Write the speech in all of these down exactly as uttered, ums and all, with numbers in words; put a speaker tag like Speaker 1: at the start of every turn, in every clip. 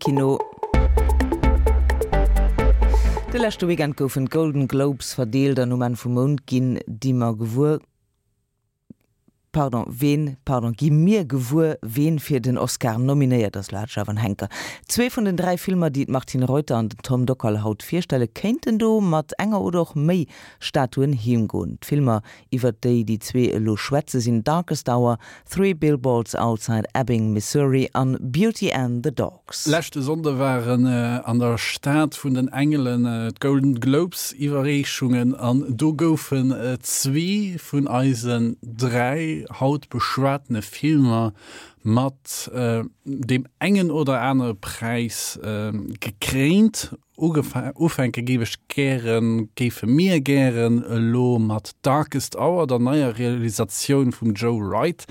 Speaker 1: Kino. De leschte Weekend goufen d'Golden Globes verdeelt an um Enn vum Mount ginn déi mer gewuer, pardon, ween, pardon, gi mir gewuer, ween fir den Oscar nominéiert ass, lo hat ech awer en Henker. Zwee vun den dräi Filmer, déi d'Martine Reuter an den Tom Dockal haut virstelle, kéinten do mat enger oder och méi Statuen heemgoen. D'Filmer, iwwert déi déi zwee elo schwätze sinn Darkest Hour, Three Billboards Outside Ebbing, Missouri an Beauty and the Dogs.
Speaker 2: Leschte Sonnde waren an der Stad vun den Engelen d'Golden Globes Iwwerreechungen an do goufen zwee vun eisen dräi haut beschwatene Filmer mat deem engen oder anere Präis gekréint. Ufänke géif ech gären, géife mir gären elo mat Darkest Hour, der neier Realisatioun vum Joe Wright.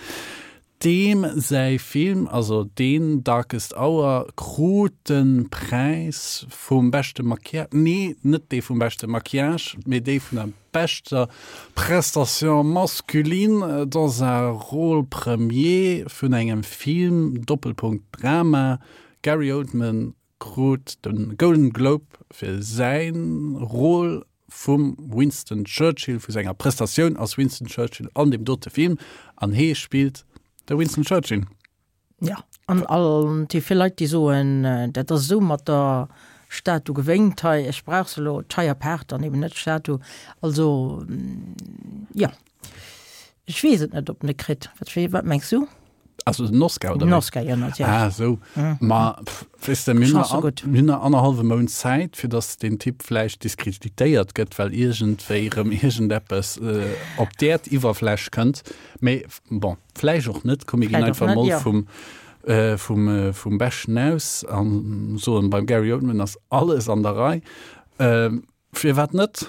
Speaker 2: Deem säi Film, also deen Darkest Hour, krut de Präis vum beschte Maquillage, nee, net dee vum beschte Maquillage, mee dee vun der beschter Prestation masculine dans un rôle premier vun engem Film, Doppelpunkt Drama. Gary Oldman krut de Golden Globe fir säi Rôle vum Winston Churchill, vu senger Prestatioun als Winston Churchill an deem dote Film, an hee spillt de Winston Churchill.
Speaker 3: Ja, an all déi vill Leit, déi soen, dat ass esou mat der Statu gewéngt hei, ech brauch se elo, d'Scheier Paart an eben net d'Statu. Also, jo, ech weess et net, ob en e kritt. Wat, wat mengs du?
Speaker 2: Also den Oscar oder
Speaker 3: Den Oscar, jo, natierlech.
Speaker 2: Ah, esou. Ma weess de, mir hunn
Speaker 3: Chance
Speaker 2: nach,
Speaker 3: gutt.
Speaker 2: mir hunn nach annerhallwe Mount Zäit, fir datt deen Typ vläicht diskreditéiert gëtt, well iergendwéi erëm iergendeppes äh, op d'Äerdiwwerfläch kënnt. Mee bon, vläicht och net. Komm, mir ginn
Speaker 3: Vläicht och
Speaker 2: einfach
Speaker 3: net,
Speaker 2: mol
Speaker 3: jo.
Speaker 2: vum, äh, vum, äh, vum Beschten aus an soen, beim Gary Oldman ass alles an der Rei. Ähm, firwat net?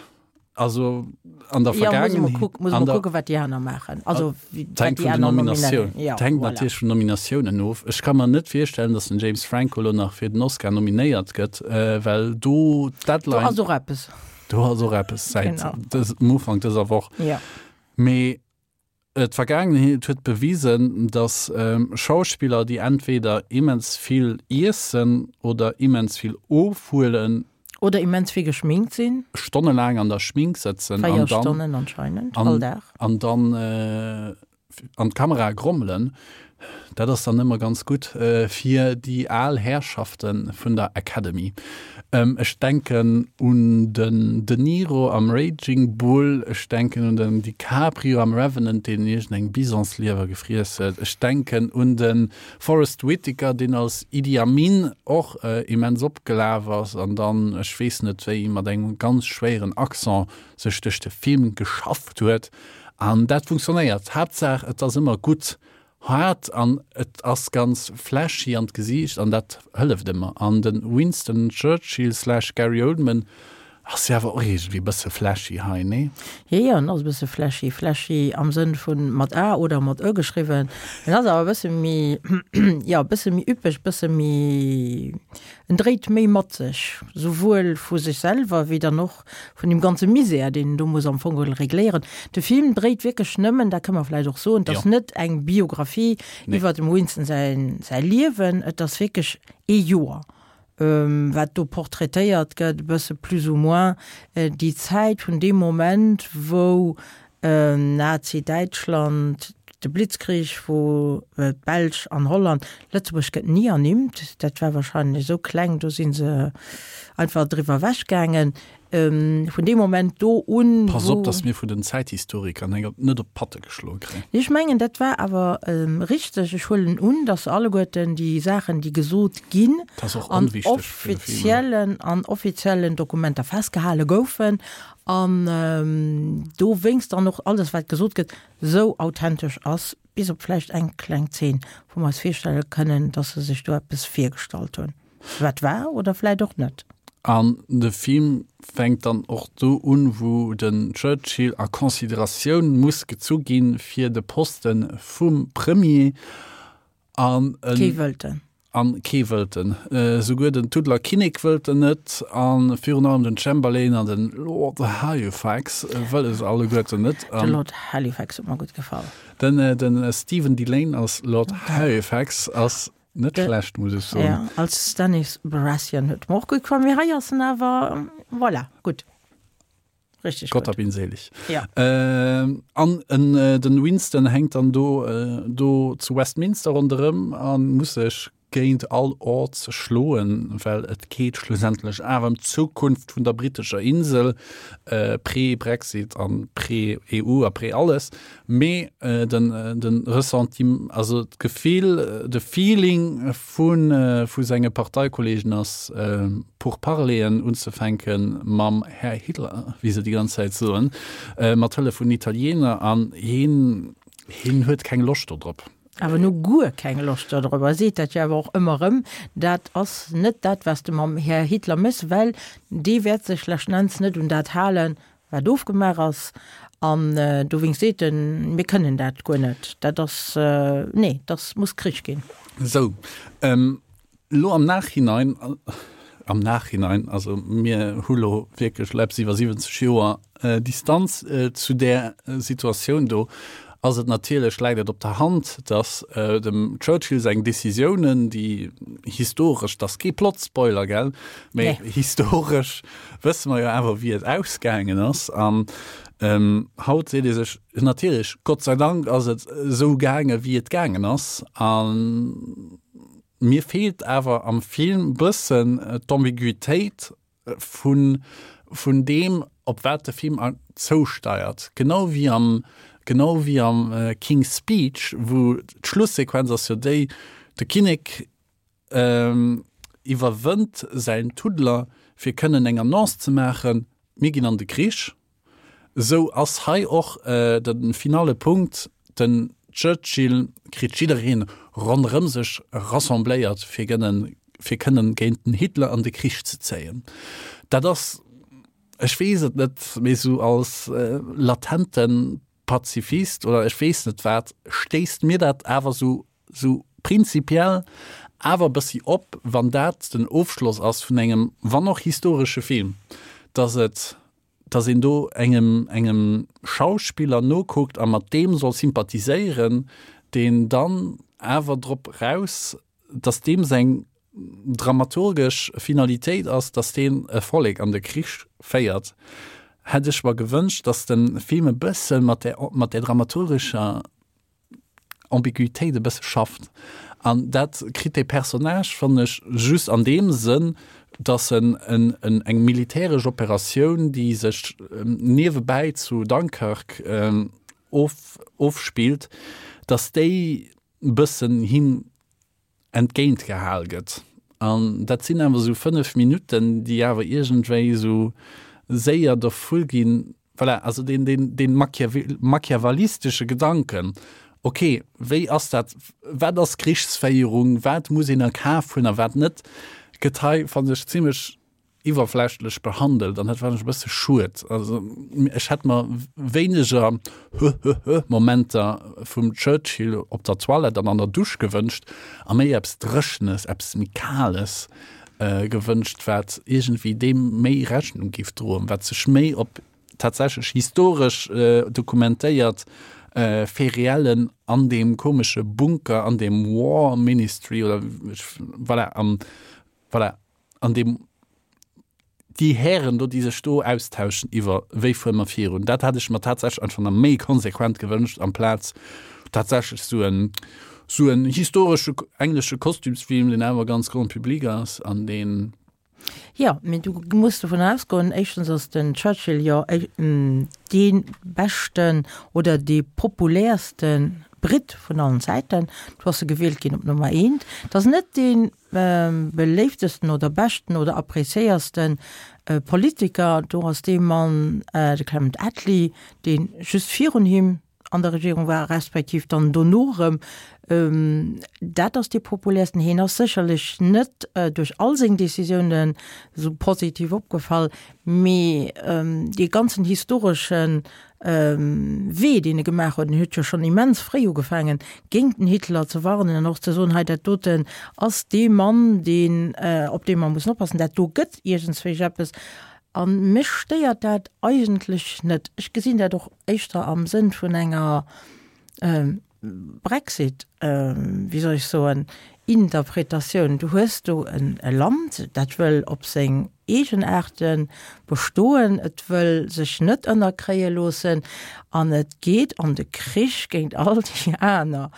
Speaker 2: Also an der
Speaker 3: Ja, muss mer
Speaker 2: Vergaangenheet,
Speaker 3: kuck, muss
Speaker 2: an
Speaker 3: mer
Speaker 2: der
Speaker 3: kucken, wat déi aner maachen. Also, wéi-
Speaker 2: Et
Speaker 3: wat
Speaker 2: hänkt
Speaker 3: déi
Speaker 2: vun den
Speaker 3: aner
Speaker 2: Nominatioun,
Speaker 3: nominéieren. Ja,
Speaker 2: et hänkt
Speaker 3: voilà.
Speaker 2: natierlech vun Nominatiounen of. Ech ka mer net virstellen, datt den James Franco elo nach fir den Oscar nominéiert gëtt, äh, well do
Speaker 3: Do
Speaker 2: d'Deadline,
Speaker 3: ass och eppes.
Speaker 2: do ass och eppes säit
Speaker 3: Genau.
Speaker 2: dës, um Ufank dëser Woch.
Speaker 3: Ja.
Speaker 2: Mee d'Vergaangenheet huet bewisen, datt Schauspiller, déi entweder immens vill iessen oder immens vill ofhuelen,
Speaker 3: Oder immens vill geschminkt sinn.
Speaker 2: Stonnelaang an der Schmink sëtzen an
Speaker 3: Véier
Speaker 2: dann
Speaker 3: Stonnen anscheinend,
Speaker 2: an,
Speaker 3: all Dag.
Speaker 2: an dann an d'Kamera grommelen, dat ass dann ëmmer ganz gutt fir déi al Herrschafte vun der Academy. Ech denken un den De Niro am Raging Bull, ech denken un den DiCaprio am Revenant, deen iergendeng Bisonsliewer gefriess huet, ech denken un de Forest Whitaker, deen als Idi Amin och immens opgelaf ass an dann, ech weess net wéi, mat engem ganz schwéieren Accent sech duerch de Film geschafft huet. An dat funktionéiert. Haaptsaach et ass ëmmer gutt haart an et ass ganz flashy an d'Gesiicht an dat hëlleft ëmmer. An de Winston Churchill slash Gary Oldman ass jo awer och iergendwéi e bësse flashy hei, nee?
Speaker 3: Jo, jo, en ass e bësse flashy. Flashy am Sënn vun mat a oder mat ö geschriwwen. En ass awer e bësse méi, jo, e bësse méi üppeg, e bësse méi, en dréit méi mat sech, souwuel vu sech selwer wéi dann och vun deem ganze Misär, deen en do muss am Fong geholl regléieren. De Film dréit wierklech nëmmen, dat kënne mer vläicht och soen, et ass
Speaker 2: Jo.
Speaker 3: net eng Biographie
Speaker 2: Nee.
Speaker 3: iwwer dem Winston säin, säi Liewen, et ass wierklech ee Joer, wat do portraitéiert gëtt, e bësse plus ou moins déi Zäit vun deem Moment, wou Nazi-Däitschland, de Blitzkrieg, wou d'Belsch an Holland, Lëtzebuerg gëtt ni ernimmt, dat war wahrscheinlech esou kleng, do si se einfach driwwer ewechgaangen, vun deem Moment do un,
Speaker 2: Pass op,
Speaker 3: wou.
Speaker 2: dass mir vun den Zäithistoriker net op d'Patte geschloe kréien.
Speaker 3: Ech mengen, dat war awer richteg. Ech huelen un, dass alleguerten déi Saachen, déi gesot ginn,
Speaker 2: Dat ass och
Speaker 3: an
Speaker 2: onwichteg fir de Film,
Speaker 3: offiziellen, an offiziellen Dokumenter festgehale goufen an dowéinst dann och alles, wat gesot gëtt, esou authentesch ass, bis op vläicht eng kleng Zeen, wou mer eis virstelle kënnen, dass se sech do eppes virgestallt hunn, wat war oder vläicht och net.
Speaker 2: An de Film fänkt dann och do un, wou den Churchill a Consideratioun muss gezu ginn fir de Poste vum Premier. An en.
Speaker 3: Kee wëllt en.
Speaker 2: An kee wëllt en. Souguer den Tuddler Kinnek wëllt en net. A virun allem den Chamberlain an den Lord Halifax wëlle se alleguerten net.
Speaker 3: De Lord Halifax huet mer gutt gefall.
Speaker 2: Den, den Stephen Dillane als Lord Halifax ass. Net schlecht, muss ech soen.
Speaker 3: Ja, als Stannis Baratheon huet mer och gutt gefall, mee hei ass en awer, voilà, gutt. Richtig
Speaker 2: Gott
Speaker 3: gutt.
Speaker 2: hab ihn selig.
Speaker 3: Ja.
Speaker 2: Äh, an en, äh, den Winston hänkt dann do, äh, do zu Westminster ronderëm an muss sech géint all Odds schloen, well et geet schlussendlech awer ëm d'Zukunft vun der brittescher Insel, äh, pre-Brexit an pre-E U a pre-alles. Mee äh, den, äh, den Ressentiment, also d'Gefill, de Feeling vun, äh, vu senge Parteikollegen ass, äh, Pourparleren unzefänke mam Här Hitler, wéi se déi ganz Zäit soen, äh, mat Hëllef vun Italiener, an hien, hien huet keng Loscht dodrop.
Speaker 3: Awer nu guer keng Loscht dodrop. E seet dat jo awer och ëmmer erëm, dat ass net dat, wat s de mam Här Hitler méchs, well dee wäert sech leschten Enns net un dat halen, wat ofgemaach ass. An dowéinst seet en, mir kënnen dat guer net. Dat ass, nee, dat muss Krich ginn.
Speaker 2: Sou, elo am Nachhinein, am Nachhinein, also mir hu lo wierklech elo eppes iwwer siwwenzeg Joer Distanz zu där Situatioun do, ass et natierlech, läit et op der Hand, datt dem Churchill seng Decisiounen, déi historesch, dat ass kee Plot-Spoiler, gell, mee historesch wësse mer jo awer, wéi et ausgaangen ass. An haut seet ee sech natierlech, Gott sei Dank ass et esou gaangen, wéi et gaangen ass. A mir feelt awer am Film bëssen d'Ambiguitéit vun, vun deem, op wat de Film zousteiert. Genau wéi am, genau wéi am King's Speech, wou d'Schlussequenz ass jo déi, de Kinnek iwwerwënnt säin Tuddler, fir kënnen eng Annonce ze maachen, Mir ginn an de Krich. Esou ass hei och de finale Punkt, den Churchill kritt jiddereen ronderëm sech rassembléiert, fir gënnen, fir kënnen géint den Hitler an de Krich ze zéien. Dat ass, ech weess et net, mee sou als latente Pazifist oder ech weess net wat, stéisst mir dat awer sou, sou prinzipiell awer e bëssi op, wann dat den Ofschloss ass vun engem, wann och historesche Film, dass et, dass een do engem, engem Schauspiller nokuckt a mat deem soll sympathiséieren, deen dann awer drop raus, dass deem seng dramaturgesch Finalitéit ass, dass deen e Vollek an de Krich féiert, hätt ech mer gewënscht, dass de Film e bësse mat där, mat där dramaturgescher Ambiguitéit e bësse schafft. An dat kritt dee Personnage, fannen ech, just an deem Sënn, dass en en eng militäresch Operatioun, déi sech niewebäi zu Dunkirk of ofspillt, dass déi e bëssen him entgéint gehal gëtt. An dat sinn awer esou fënnef Minutten, déi awer iergendwéi esou séier dervu ginn. Voilà, also deen, deen, deen machiavellistesche Gedanken, ok, wéi ass dat, wat ass Krichsféierung, wat muss een a Kaf hunn a wat net, gëtt hei, fannen ech, zimlech iwwerflächlech behandelt an dat fannen ech e bësse schued. Also ech hätt mer wéineger Höhöhö-Momenter vum Churchill op der Toilette an an der Dusch gewënscht a méi eppes Dréchenes, eppes méi Kales gewënscht, wat iergendwéi deem méi Rechnung géif droen, wat sech méi op tatsächlech historesch dokumentéiert Faits réellen an deem komesche Bunker, an deem War Ministry oder voilà, am voilà, an deem déi Hären do, déi sech do austauschen iwwer wéi fuere mer virun, dat hätt ech mer tatsächlech einfach nach méi konsequent gewënscht, amplaz tatsächlech sou en sou en historesche englesche Kostümsfilm, deen awer ganz grand public ass an deen.
Speaker 3: Jo, mee du muss dovun ausgoen, éischtens ass den Churchill jo dee beschten oder dee populäerste Britt vun allen Zäiten. Do ass e gewielt ginn op Nummer eent. Et ass net dee beléiftesten oder beschten oder appréciéierste Politiker. Do ass dee Mann, de Clement Attlee, dee just virun him an der Regierung war, respektiv dann dono erëm. Dat ass dee populärsten. Hien ass sécherlech net duerch all seng Decisiounen esou positiv opgefall, mee dee ganzen historesche Wee, deen e gemaach huet, en huet jo schonn immens fréi ugefaangen, géint den Hitler ze warnen an och ze soen, hei dat doten ass dee Mann, deen, op dee mer mussen oppassen, dat do gëtt iergendswéi eppes. A mech stéiert dat eigentlech net. Ech gesinn dat och éischter am Sënn vun enger Brexit, wéi soll ech soen, Interpretatioun. Du hues do en e Land, dat wëll op seng eegen Aarte bestoen, et wëll sech net ënnerkréie loossen an et geet an de Krich géint all déi aner.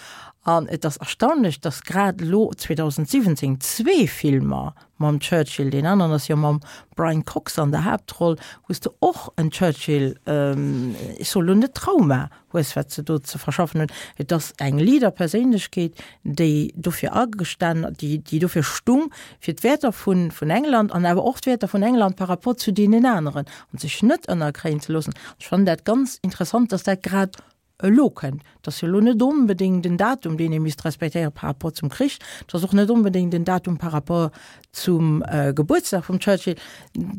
Speaker 3: An et ass erstaunlech, datt grad elo zweedausendsiwwenzéng zwee Filmer mam Churchill, deen aneren ass jo mam Brian Cox an der Haaptroll, wou s de och en Churchill, ech soe lo net Trauma hues, wat se do ze verschaffen hunn. Et ass eng Leader-Perséinlechkeet, déi dofir agestan, déi, déi dofir stung, fir d'Wäerter vun, vun England an awer och d'Wäerter vun England par rapport zu deenen aneren an sech net ënnerkréien ze loossen. Ech fannen dat ganz interessant, dass dat grad elo kënnt. Et ass jo elo net onbedéngt en Datum, deen ee misst respektéiere par rapport zum Krich. Et ass och net onbedéngt en Datum par rapport zum Gebuertsdag vum Churchill.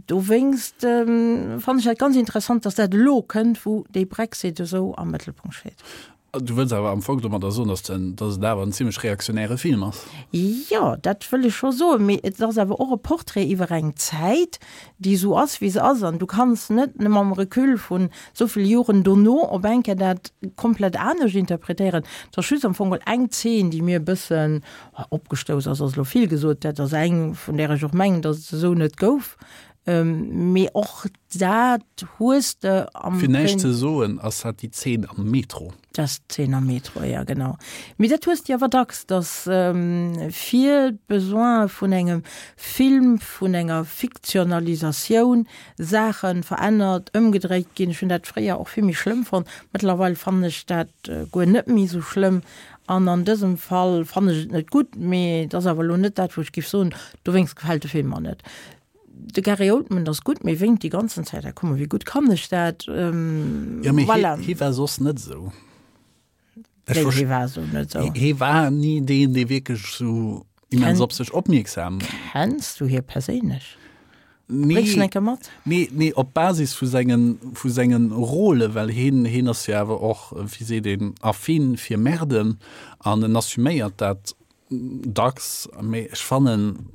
Speaker 3: Dowéinst fannen ech dat ganz interessant, dass dat elo kënnt, wou dee Brexit esou am Mëttelpunkt steet.
Speaker 2: Du wëlls awer am Fong domadder soen, dass den, dass et awer en zimmlech reaktionäre Film ass?
Speaker 3: Jo, dat wëll ech scho soen, mee et ass awer och e Portrait iwwer eng Zäit, déi esou ass, wéi se ass. An du kanns net mam Recul vun esou vill Joren dono op eng Kéier dat komplett anescht interpretéieren. Et ass just am Fong geholl eng Zeen, déi mir e bëssen opgestouss ass, ass elo vill gesot, dat ass eng, vun där ech och mengen, dass et se esou net gouf. Mee och dat hues de
Speaker 2: am Fir näischt ze soen, ass dat déi Zeen am Metro.
Speaker 3: Dat ass d'Zeen am Metro, jo genau. Mee dat hues de awer dacks, datt fir d'Besoine vun engem Film, vun enger Fiktionalisatioun Saache verännert, ëmgedréit ginn. Ech hunn dat fréier och vill méi schlëmm fonnt. Mëttlerweil fannen ech dat guer net méi esou schlëmm. An an dësem Fall fannen ech et net gutt, mee et ass awer elo net dat, wou ech géif soen, dowéinst gefält de Film mer net. De Gary Oldman ass gutt, mee wénkt déi ganzen Zäit. Ah komm, wéi gutt kann ech dat?
Speaker 2: Jo, mee hie, hie war soss net esou.
Speaker 3: Ech Wéi, hie war esou net esou?
Speaker 2: Hie war ni deen, dee wierklech esou immens op sech opmierksam.
Speaker 3: Kenns du hie perséinlech?
Speaker 2: Nee.
Speaker 3: Bréngs en eng Kéier mat?
Speaker 2: Nee, nee, op Basis vu sengen, vu sengen Rôlen, well hien, hien ass jo awer och, wéi seet een, affin fir Merden an en assuméiert dat dacks. Mee ech fannen,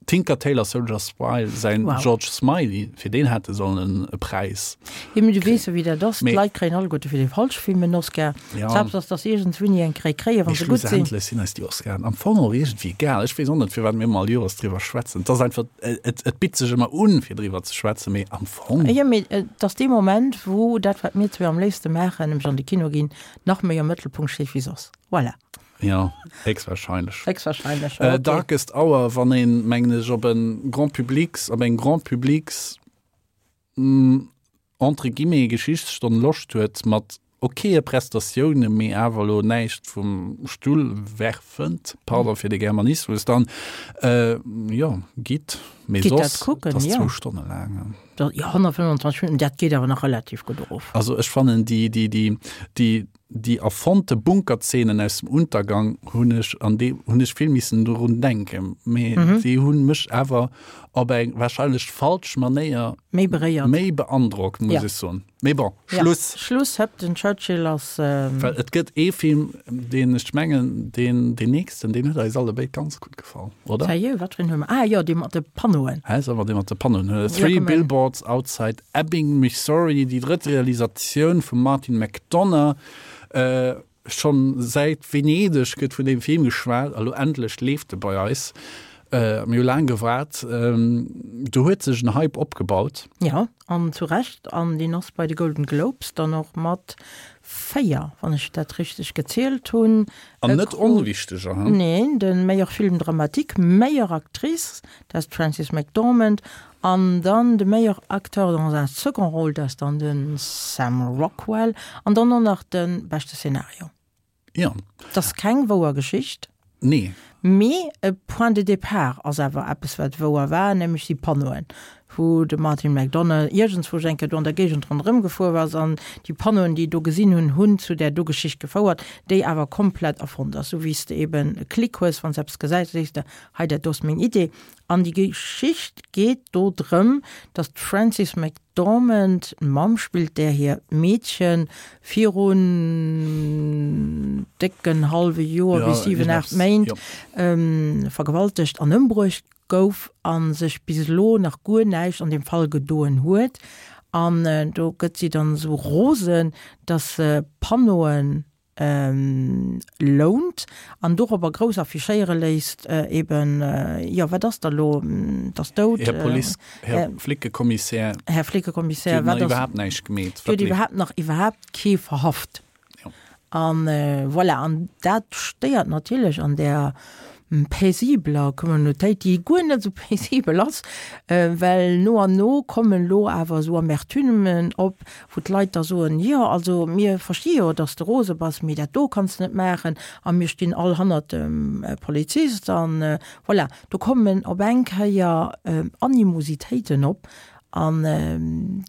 Speaker 2: Tinker Tailor Soldier Spy säin
Speaker 3: Wow.
Speaker 2: George Smiley, fir deen hätt e sollen e Präis
Speaker 3: Jo, mee du weess jo, wéi dat ass,
Speaker 2: Mee-
Speaker 3: D'Leit kréien alleguerte fir déi falsch Film en Oscar.
Speaker 2: Ja.
Speaker 3: Selbst ass, dass iergendswéini eng Kréi kréien, wa
Speaker 2: Mee
Speaker 3: se gutt sinn.
Speaker 2: schlussendlech sinn eis déi Oscaren am Fong och iergendwéi egal. Ech weess och net, firwat mir ëmmer all Joers driwwer schwätzen. Et ass einfach, et, et bitt sech ëmmer un, fir driwwer ze schwätzen, mee am Fong.
Speaker 3: Jo, mee et ass dee Moment, wou dat, wat mir zwee am léifste maachen, nämlech an de Kino ginn, nach méi am Mëttelpunkt steet wéi soss. Voilà.
Speaker 2: Jo, héchstwahrscheinlech.
Speaker 3: Héchstwahrscheinlech,
Speaker 2: Äh,
Speaker 3: okay.
Speaker 2: Darkest Hour, wann een, mengen ech, op en Grand Publics, op eng Grand Publics, mm, entre guillemets, Geschichtsstonn Loscht huet, mat okaye Prestatiounen, mee awer elo näischt vum Stull werfend, pardon fir de Germanismus, dann, äh, jo, gitt. Mee
Speaker 3: Gitt dat
Speaker 2: soss,
Speaker 3: kucken,
Speaker 2: et ass
Speaker 3: jo.
Speaker 2: zwou Stonne laang.
Speaker 3: Dat, jo, honnertfënnwandzwanzeg Minutten, dat geet awer nach relativ gutt erof.
Speaker 2: Also ech fannen déi, déi, déi, déi, déi erfonnte Bunkerzeenen aus dem Untergang hunn ech an déi hunn ech vill missen dorun denken, mee
Speaker 3: Mhm.
Speaker 2: déi hunn mech awer op eng wahrscheinlech falsch Manéier
Speaker 3: Méi beréiert.
Speaker 2: méi beandrockt, muss
Speaker 3: Ja.
Speaker 2: ech soen. Mee bon,
Speaker 3: Ja.
Speaker 2: Schluss.
Speaker 3: Schluss, hëpp, den Churchill ass.
Speaker 2: Well et gëtt ee Film, deen ech mengen, deen, deen nächsten, deen huet eis allebéid ganz gutt gefall, oder?
Speaker 3: Sérieux, wat fir een hu mer? Ah jo, dee mat de Panneauen.
Speaker 2: Hä, solle mer dee mat de Panneauen huelen?
Speaker 3: Ja,
Speaker 2: Three
Speaker 3: komm,
Speaker 2: Billboards Outside Ebbing, Missouri, déi drëtt Realisatioun vum Martin McDonagh. Äh, schonn säit Venedeg gëtt vun deem Film geschwat, a lo endlech leeft e bei eis. Äh, mir hu laang gewaart. Ähm, do huet sech en Hype opgebaut.
Speaker 3: Ja, an zu Recht. An deen ass bei de Golden Globes dann och mat véier, wann ech dat richteg gezielt hunn.
Speaker 2: An net
Speaker 3: krut,
Speaker 2: onwichteger, he?
Speaker 3: Neen, de Meilleur Film dramatique, Meilleure Actrice, dat ass d'Frances McDormand, an dann de Meilleur Acteur dans un second rôle, dat ass dann de Sam Rockwell, an dann och nach de beschte Szenario.
Speaker 2: Ja.
Speaker 3: Et ass keng wouer Geschicht.
Speaker 2: Nee.
Speaker 3: Mee e Point de départ ass awer eppes, wat wouer war, nämlech déi Panneauen, wou de Martin McDonagh iergendswou eng Kéier do an der Géigend ronderëm gefuer ass an déi Panneauen, déi do gesinn hunn, hunn zu där do Geschicht gefouert, déi awer komplett erfonnt ass. Sou wéi s de eben e Klick hues, wann s eppes gesäis, da sees de, hei dat do ass meng Idee. An déi Geschicht geet do drëm, datt d'Frances McDormand d'Mamm spillt, där hir Meedche virun décken hallwe Joer
Speaker 2: Ja,
Speaker 3: bis siwen, aacht
Speaker 2: iergendeppes,
Speaker 3: Méint
Speaker 2: jo.
Speaker 3: vergewaltegt an ëmbruecht gouf a sech bis elo nach guer näischt an deem Fall gedoen huet. An do gëtt si dann esou rosen, datt se Panneauen lount an dorobber grouss affichéiere léisst, eben, jo, wat ass da lo, 't ass dout.
Speaker 2: Här Police, Här Flickekommissär.
Speaker 3: Här Flickekommissär,
Speaker 2: wat ass. Dir hutt nach iwwerhaapt näischt gemeet.
Speaker 3: Dir hutt iwwerhaapt nach iwwerhaapt kee verhaft. An voilà, an dat stéiert natierlech an där paisibler Communautéit, déi guer net esou paisibel ass, well no an no kommen elo awer esou Amertumen op, wou d'Leit da soen, jo also mir versti jo, datt s de rose bass, mee dat do kanns de net maachen a mir stinn all hannert dem Polizist an voilà. Do kommen op eng Kéier Animositéiten op an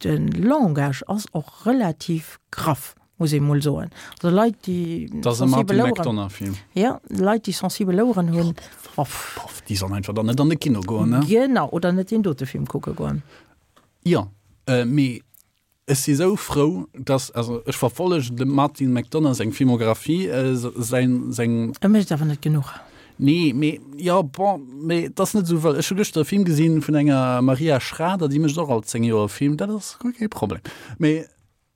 Speaker 3: de Langage ass och relativ graff. Muss ee mol soen. Also Leit, déi
Speaker 2: sensibel Oueren,
Speaker 3: ja, Leit, déi sensibel Oueren hunn,
Speaker 2: boff. Boff, déi sollen einfach dann net an de Kino goen, ne?
Speaker 3: Genau, oder net deen dote Film kucke goen.
Speaker 2: Jo, mee ech si sou frou, dass, also ech verfollegen dem Martin McDonagh seng Filmographie, säin, seng.
Speaker 3: E mécht awer net genuch.
Speaker 2: Nee, mee, jo, bon, mee et ass net esou wëll. Ech hu gëschter e Film gesinn vun enger Maria Schrader, déi mécht och all zéng Joer e Film, dat ass guer kee Problem. Mee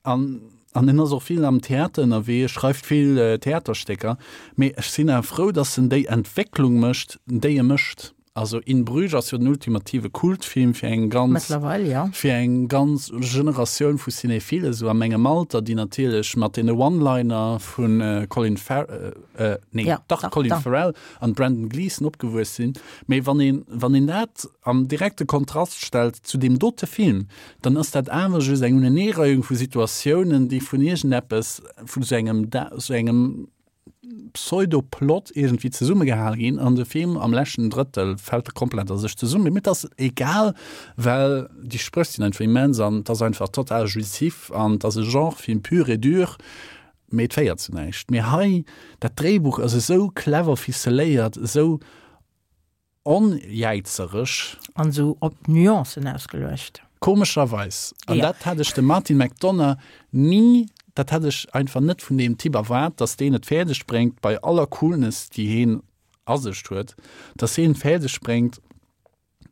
Speaker 2: An, an en ass och vill am Theater ënnerwee, e schreift vill Theaterstécker. Mee ech sinn awer frou, datt en déi Entwécklung mécht, déi e mécht. Also In Bruges ass jo den ultimative Kultfilm fir eng ganz,
Speaker 3: Mëttlerweil, jo.
Speaker 2: fir eng ganz Generatioun vu Cinéphilen, esou a mengem Alter, déi natierlech mat deene One-Liner vu Colin Farr, nee,
Speaker 3: Ja,
Speaker 2: dach,
Speaker 3: dach,
Speaker 2: Colin
Speaker 3: dach.
Speaker 2: Farrell an Brendan Gleeson opgewuess sinn. Mee wann een, wann een dat am direkte Kontrast stellt zu deem dote Film, dann ass dat awer just eng Uneneereihung vu Situatiounen, déi vun iergendeppes, vun esou engem, esou engem Pseudoplot iergendwéi zesummegehal ginn an de Film am leschten Drëttel fält e komplett a sech zesummen. Mee et ass egal, well déi Spréch sinn einfach immens an et ass einfach total jouissif an et ass e Genrefilm pur et dur, mee et féiert zu näischt. Mee hei, dat Dréibuch ass esou clever ficeléiert, esou Onjäizereg.
Speaker 3: An esou op Nuancen ausgeluecht.
Speaker 2: Komescherweis, an dat hätt ech dem Martin McDonagh ni, dat hätt ech einfach net vun deem Typ erwaart, datt deen et fäerdeg bréngt, bei aller Coolness, déi heen a sech huet, datt heen et fäerdeg bréngt,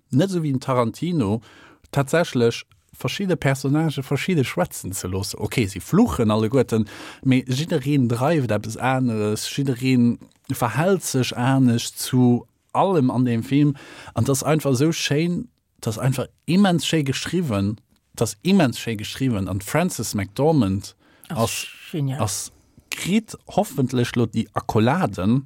Speaker 2: net esou wéi den Tarantino, tatsächlech verschidde Personnagë verschidde schwätzen ze loossen. Ok, si fluchen alleguerten, mee jiddereen dreift eppes aneres, jidderee verhält sech anescht zu allem an deem Film an et ass einfach esou schéin, et ass einfach immens schéi geschriwwen, et ass immens schéi geschriwwen an d'Frances McDormand ass ass kritt hoffentlech lo déi Accoladen,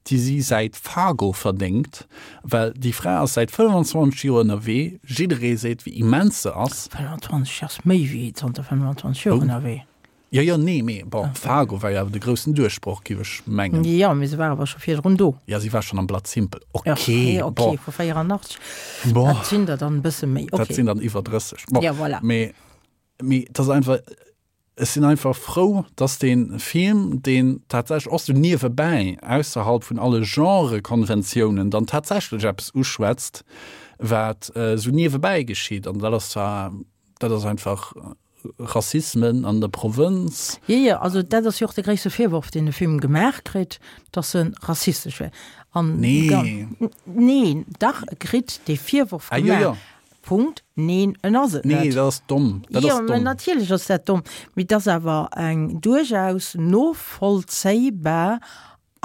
Speaker 2: déi si säit Fargo verdéngt, well déi Fra ass säit fënnwanzwanzeg Joer ënnerwee, jidderee seet wéi immens se ass.
Speaker 3: fënnwanzwanzeg ass méi wéi zanter fënnwanzwanzeg Joer ënnerwee.
Speaker 2: Jo, jo, nee, mee bon, Fargo war jo awer de groussen Duerchbroch, giff ech mengen.
Speaker 3: Jo, mee se war awer scho virdrun do.
Speaker 2: Jo, si war schonn am Blood Simple. Ok,
Speaker 3: bon. Ok, vu véierannachtzeg.
Speaker 2: Bon.
Speaker 3: Dat sinn der dann e bësse méi, ok.
Speaker 2: Dat sinn dann iwwer drësseg. Bon.
Speaker 3: Jo, voilà.
Speaker 2: Mee, mee et ass einfach, ech sinn einfach frou, dass dee Film, deen tatsächlech och sou niewebäi, ausserhalb vun alle Genrekonventiounen, dann tatsächlech eppes uschwätzt, wat esou niewebäi geschitt. An dat ass zwar, dat ass einfach Rassismen an der Provënz.
Speaker 3: Jo, jo, also dat ass jo och de gréisste Virworf, deen de Film gemaach kritt, datt e rassistesch wär. An
Speaker 2: Nee.
Speaker 3: Neen, dach, e kritt dee Virworf
Speaker 2: Ah, jo,
Speaker 3: gemaach.
Speaker 2: jo.
Speaker 3: Punkt. Neen, en ass et
Speaker 2: Nee,
Speaker 3: net.
Speaker 2: dat ass domm. Dat
Speaker 3: Jo,
Speaker 2: ass
Speaker 3: mä
Speaker 2: domm.
Speaker 3: natierlech ass dat domm. Mee et ass awer eng duerchaus novollzéibar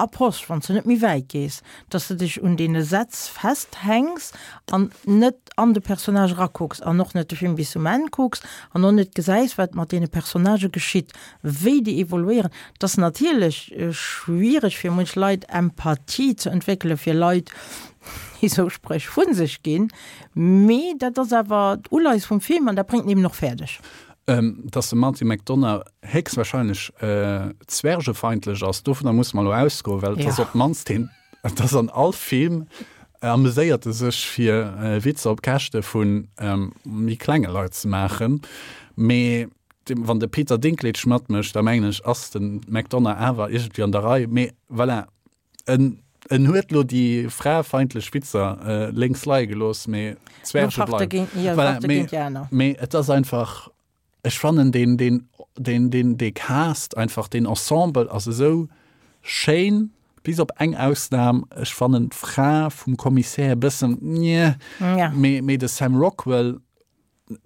Speaker 3: Approche, wann s de net méi wäit gees, dass de dech un deene Sätz festhänks an net an de Personnage erakucks an och net de Film bis zum Enn kucks an och net gesäis, wat mat deene Personnagë geschitt, wéi déi evoluéieren. Et ass natierlech schwiereg fir munch Leit, Empathie ze entwéckele fir Leit, déi esou Spréch vu sech ginn, mee dat ass awer d'Uleies vum Film an dat bréngt en eben och fäerdeg.
Speaker 2: Dass de Martin McDonagh héchstwahrscheinlech zwergefeindlech ass, dovunner musse mer elo ausgoen, well et ass op d'mannst heen, et ass an all Film ameséiert e sech fir Witzer op Käschte vu méi klenge Leit ze maachen. Mee wann de Peter Dinklage matmécht, da mengen ech, ass de McDonagh awer iergendwéi an der Rei. Mee voilà, en en huet elo déi fraefeindlech Witzer lénks leie gelooss, mee d'Zwerge bleiwen. Voilà, mee mee et ass einfach. Ech fannen deen, deen, deen, deen, dee Cast einfach, deen Ensemble ass esou schéin, bis op eng Ausnahm, ech fannen d'Fra vum Kommissär e bëssen njeh,
Speaker 3: Ja.
Speaker 2: mee, mee de Sam Rockwell,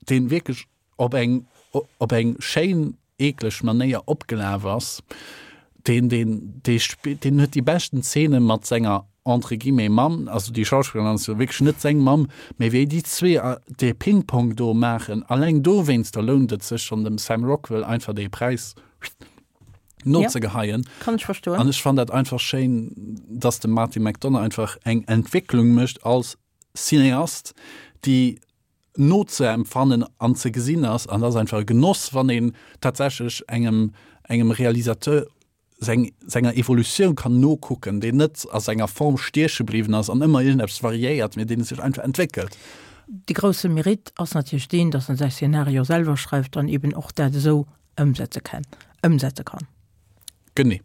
Speaker 2: deen wierklech op eng, op eng schéin eekleg Manéier opgelaf ass, Deen, deen, dee spillt, deen huet déi beschten Zeene mat senger entre guillemets Mamm, also déi Schauspillerin ass jo wierklech net seng Mamm, mee wéi déi zwee dee Ping-Pong do maachen, alleng dowéinster lount et sech schonn dem Sam Rockwell einfach dee Präis nozegeheien.
Speaker 3: Kann ech verstoen.
Speaker 2: An ech fannen dat einfach schéin, dass de Martin McDonagh einfach eng Entwécklung mécht als Cineast, déi nozeempfannen an ze gesinn ass. An dat ass einfach e Genoss, wann een tatsächlech engem, engem Realisateur seng, senger Evolutioun kann nokucken, deen net a senger Form stieche bliwwen ass an ëmmer iergendeppes variéiert, mee deen sech einfach entwéckelt.
Speaker 3: De grousse Mérite ass natierlech deen, dass en säi Szenario selwer schreift an eben och dat esou ëmsetze kann, ëmsetze kann.
Speaker 2: Genee.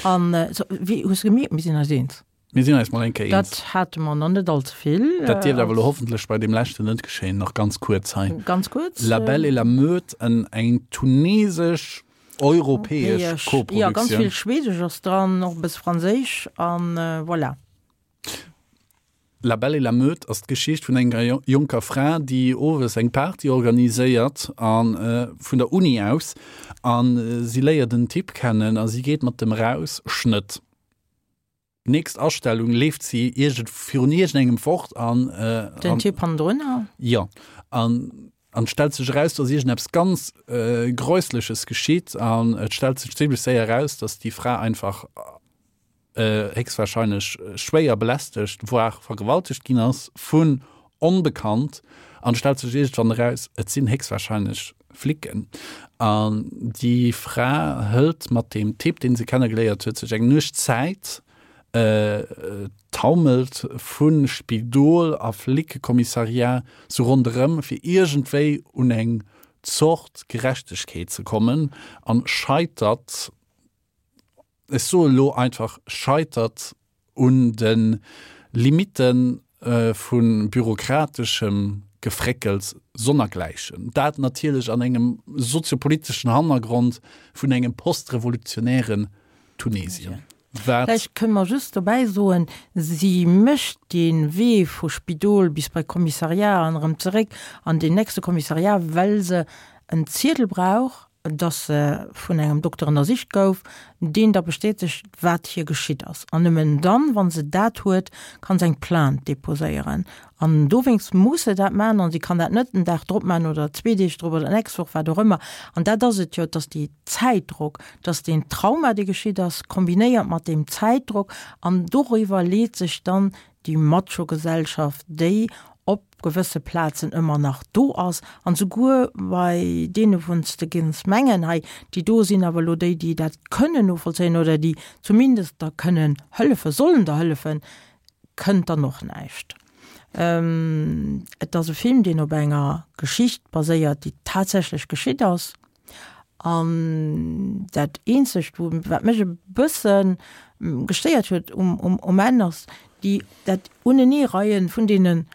Speaker 3: An wéi hues de gemierkt, mir sinn eis eens.
Speaker 2: Mir sinn eis mol eng Kéier eens.
Speaker 3: Dat hate mer nach net all ze vill.
Speaker 2: Dat dierft awer elo hoffentlech bei deem leschten net geschéien. Nach ganz kuerz hei.
Speaker 3: Ganz kuerz.
Speaker 2: La Belle et la Meute, en eng tunesesch-europäesch Koproduktioun.
Speaker 3: Jo, ganz vill Schwedesch ass dran, och e bësse Franséisch an voilà.
Speaker 2: La Belle et la Meute ass d'Geschicht vun enger jonker Fra, déi owes eng Party organiséiert a vun der Uni aus a si léiert en Typ kennen a si geet mat dem raus. Schnëtt. Nächst Astellung leeft si iergend virun iergendengem fort an
Speaker 3: Den Typ hannendrunner?
Speaker 2: Jo. An an et stellt sech eraus, dass iergendeppes ganz Gräussleches geschitt an et stellt sech zimmlech séier eraus, dass déi Fra einfach héchstwahrscheinlech schwéier belästegt, voire vergewaltegt ginn ass vun onbekannt an et stellt sech iergendwann eraus, et sinn héchstwahrscheinlech Flicken. An déi Fra hëlt mat deem Typ, deen se kennegeléiert huet, sech eng Nuecht Zäit, taumelt vu Spidol a Flickekommissariat sou ronderëm, fir iergendwéi un eng Zort Gerechtegkeet ze kommen an scheitert, ech soe lo einfach scheitert un de Limitte vu bürokrateschem Gefréckels sonnergläichen. Dat natierlech an engem soziopoliteschen Hannergrond vun engem postrevolutionären Tunesien.
Speaker 3: Wat. Vläicht kënne mer just dobäi soen, si mécht dee Wee vu Spidol bis bei Kommissariat an erëm zeréck an deen nächste Kommissariat, well se en Ziedel brauch, dass se vun engem Dokter ënnersicht gouf, deen da bestätegt, wat hir geschitt ass. An nëmmen dann, wa se dat huet, kann se eng Plainte deposéieren. An dowéinst muss se dat maachen an si kann dat net den Dag drop maachen oder zwee Deeg drop oder d'nächst Woch, wat och ëmmer. An dat ass et jo, dass déi Zäitdrock, dass deen Trauma, dee geschitt ass, kombinéiert mat deem Zäitdrock, an doriwwer leet sech dann déi Macho-Gesellschaft, déi op gewësse Plazen ëmmer nach do ass, an souguer bei deene wou s de géings mengen, hei déi do sinn awer elo déi, déi dat kënnen novollzéien oder déi zumindest der kënnen hëllefen, sollen der hëllefen, kënnt dann och näischt. Et ass e Film, deen op enger Geschicht baséiert, déi tatsächlech geschitt ass. An dat eenzegt, wou, wat mech e bësse gestéiert huet um, um, um Enn, ass déi, dat Uneneereien vun deene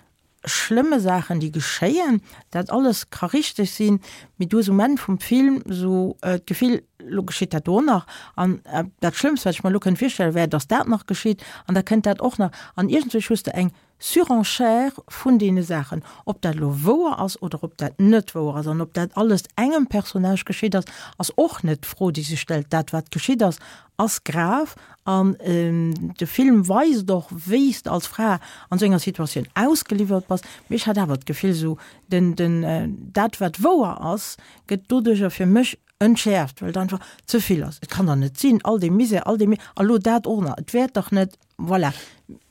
Speaker 3: schlëmme Saachen, déi geschéien. Dat alles ka richteg sinn, mee du hues um Enn vum Film esou d'Gefill, elo geschitt dat do och nach. An dat Schlëmmst, wat ech mer elo kënnt virstellen, wär, datt dat nach geschitt an da kënnt dat och nach. An iergendwéi hues de eng Surenchère vun deene Saachen, ob dat elo wouer ass oder ob dat net wouer ass an ob dat alles engem Personnage geschitt ass, ass och net d'Fro, déi sech stellt. Dat, wat geschitt ass, ass grav an de Film weist och, wéi s de als Fra an esou enger Situatioun ausgeliwwert bass. Mee ech hat awer d'Gefill, esou den, den, dat, wat wouer ass, gëtt doduercher fir mech entschäerft, well et einfach ze vill ass. Et kann dach net sinn, all dee Misär, all dee Mi, a lo dat och nach, et wäert dach net, voilà.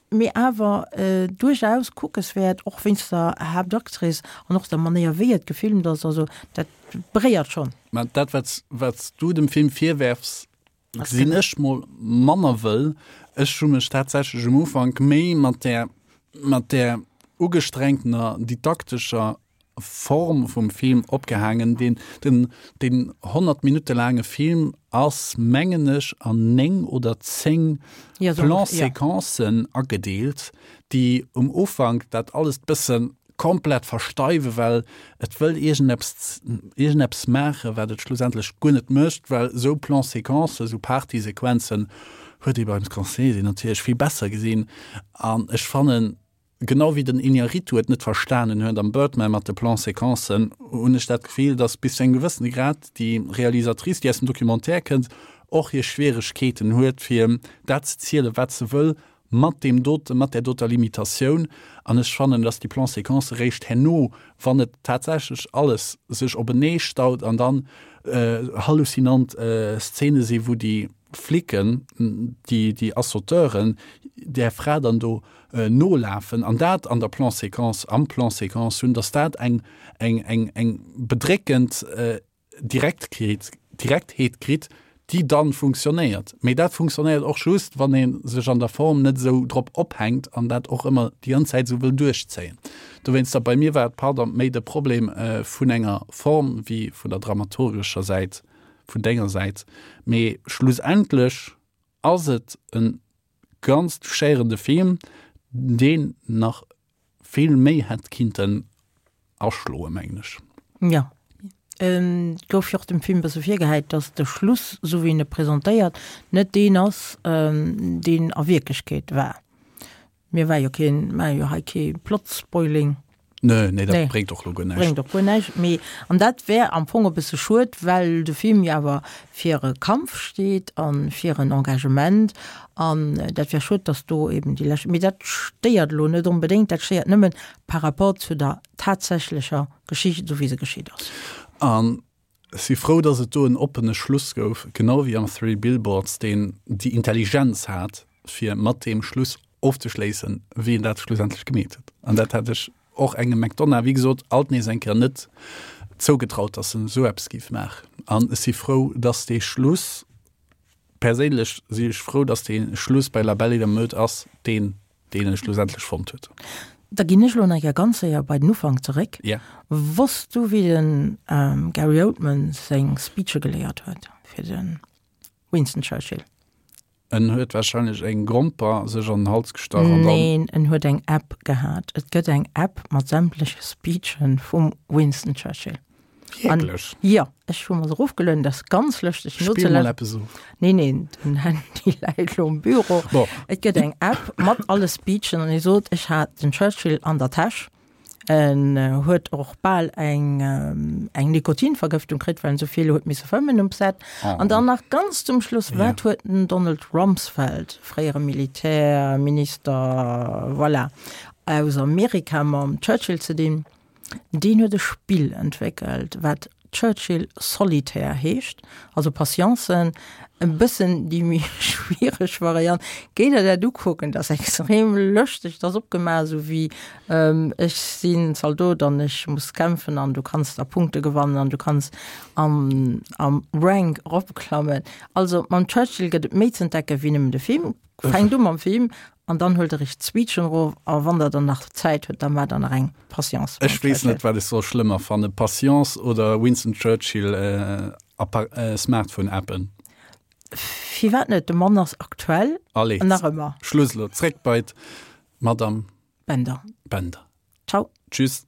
Speaker 3: Mee awer duerchaus kuckeswäert, och wéinst der Haaptactrice an och der Manéier wéi et gefilmt ass, also dat beréiert schonn.
Speaker 2: Mä dat wat wat s du dem Film virwerfs, gesinn ech mol manner wëll. Ech hu mech tatsächlech um Ufank méi mat där mat där ugestrengtener didaktescher Form vum Film opgehaangen. Deen den deen honnert Minutte laange Film ass, mengen ech, an néng oder zéng Plan-séquencen agedeelt, déi um Ufank dat alles bësse komplett versteiwen, well et wëll iergendeppes iergendeppes maachen, wat et schlussendlech guer net mécht, well esou Plan-séquencen, esou Party-Sequenzen huet ee beim Scorsese natierlech vill besser gesinn. An ech fannen, genau wéi den Iñárritu et net verstanen huet am Birdman mat de Plan-séquencen, hunn ech dat Gefill, dass bis zu engem gewëssene Grad déi Realisatrice, déi aus dem Documentaire kënnt, och hir Schwieregkeeten huet, fir dat ze zielen, wat se wëll, mat deem dote, mat där doter Limitatioun. An ech fannen, dass déi Plan-séquencë réischt herno, wann et tatsächlech alles sech openee staut an dann halluzinant Szene si wou déi Flicken, déi, déi Assauteuren där Fra dann do nolafen an dat an der Plan-séquence, am Plan-séquence hunn, dass dat eng, eng, eng, eng bedréckend Direktheet, Direktheet kritt, déi dann funktionéiert. Mee dat funktionéiert och just, wann ee sech an der Form net esou drop ophänkt an dat och ëmmer déi ganz Zäit esou wëll duerchzéien. Dowéinster, bei mir war et, pardon, méi de Problem vun enger Form wéi vun der dramaturgescher Säit, vun denger Säit. Mee schlussendlech ass et e ganz touchéierende Film, deen nach vill méi hätt kinnten aschloen, mengen ech.
Speaker 3: Jo, et gouf jo och dem Film e bësse virgehäit, datt de Schluss, esou wéi en e presentéiert, net deen ass, deen a Wierklechkeet war. Mir war jo keen, maache jo hei kee Plot-Spoiling.
Speaker 2: Nee, nee, dat bréngt och elo guer näischt.
Speaker 3: Bréngt och guer näischt. Mee, an dat wär am Fong e bësse schued, well de Film jo awer fir e Kampf steet a fir en Engagement. An dat wär schued, datt do eben déi lescht, mee dat stéiert elo net onbedéngt, dat stéiert nëmmen par rapport zu der tatsächlecher Geschicht, esou wéi se geschitt ass.
Speaker 2: An ech si frou, datt et do en oppene Schluss gouf, genau wéi am Three Billboards, deen déi Intelligenz hat, fir mat deem Schluss ofzeschléissen, wéi en dat schlussendlech gemeet huet. An dat hätt ech och engem McDonagh, wéi gesot, alt nees eng Kéier net zougetraut, datt en esou eppes géif maachen. An ech si frou, datt dee Schluss, perséinlech si ech frou, datt dee Schluss bei La Belle et la Meute ass deen, deen e schlussendlech fonnt huet.
Speaker 3: Da ginn ech elo nach eng Kéier ganz séier bei den Ufank zeréck.
Speaker 2: Ja.
Speaker 3: Wosst du, wéi den Gary Oldman seng Speeche geléiert huet fir de Winston Churchill?
Speaker 2: En huet wahrscheinlech eng Gromper sech an den Hals gestach an dann.
Speaker 3: Neen, en huet eng App gehat. Et gëtt eng App mat sämtleche Speechen vum Winston Churchill.
Speaker 2: Wierklech?
Speaker 3: Jo, ech hu mer se erofgelueden, dat ass ganz lëschteg
Speaker 2: Spill mol
Speaker 3: nozelauschteren.
Speaker 2: eppes of.
Speaker 3: Nee, neen, den Handy läit elo um Büro.
Speaker 2: Bon.
Speaker 3: Et gëtt eng App mat alle Speechen an hie sot, ech hat den Churchill an der Täsch. En huet och bal eng eng Nikotinvergëftung kritt, well en esou vill huet misse fëmmen um Set. An dann nach ganz zum Schluss, wat huet den Donald Rumsfeld, fréiere Militärminister, voilà, aus Amerika mam Churchill ze dinn? Deen huet e Spill entwéckelt, wat Churchill Solitaire heescht, also Patience, e bëssen déi méi schwiereg Variant. Géi der dat ukucken, dat ass extrem lëschteg, dat ass opgemaach esou wéi ech sinn Zaldot an ech muss kämpfen an du kanns da Punkte gewannen an du kanns am am Rank eropklammen. Also mam Churchill gëtt et méi z'entdecken wéi nëmmen de Film. Fänkt u mam Film an dann huelt der iech d'Speechen erof a wann der dann nach Zäit hutt, da maacht der nach eng Patience
Speaker 2: Ech weess net, wat ech soll schlëmmer fannen, Patience oder Winston Churchill Smartphone-Appen.
Speaker 3: Firwat net? De Mann ass aktuell.
Speaker 2: Allez,
Speaker 3: nach ëmmer.
Speaker 2: Schluss elo, zréck bei d'Madame
Speaker 3: Bender.
Speaker 2: Bender.
Speaker 3: Ciao.
Speaker 2: Tschüss.